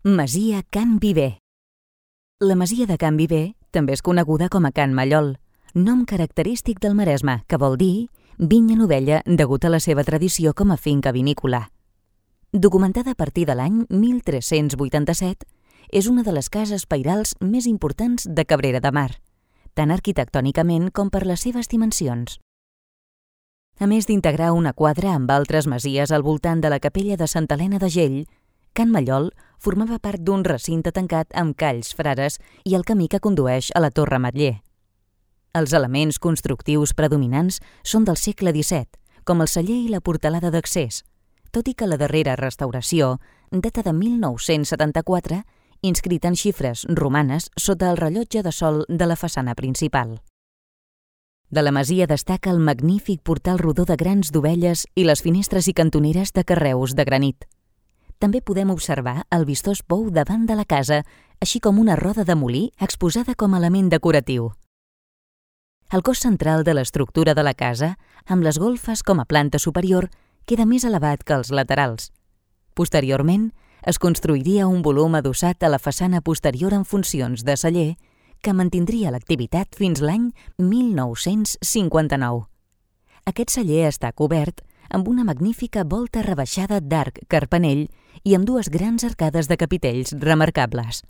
Masia Can Viver. La masia de Can Viver també és coneguda com a Can Mallol, nom característic del Maresme, que vol dir vinya novella degut a la seva tradició com a finca vinícola. Documentada a partir de l'any 1387, és una de les cases pairals més importants de Cabrera de Mar, tant arquitectònicament com per les seves dimensions. A més d'integrar una quadra amb altres masies al voltant de la capella de Santa Helena de Gell, Can Mallol formava part d'un recinte tancat amb calls frares i el camí que condueix a la Torre Ametller. Els elements constructius predominants són del segle XVII, com el celler i la portalada d'accés, tot i que la darrera restauració data de 1974, inscrita en xifres romanes sota el rellotge de sol de la façana principal. De la masia destaca el magnífic portal rodó de grans dovelles i les finestres i cantoneres de carreus de granit. També podem observar el vistós pou davant de la casa, així com una roda de molí exposada com a element decoratiu. El cos central de l'estructura de la casa, amb les golfes com a planta superior, queda més elevat que els laterals. Posteriorment, es construiria un volum adossat a la façana posterior en funcions de celler, que mantindria l'activitat fins l'any 1959. Aquest celler està cobert amb una magnífica volta rebaixada d'arc carpanell i amb dues grans arcades de capitells remarcables.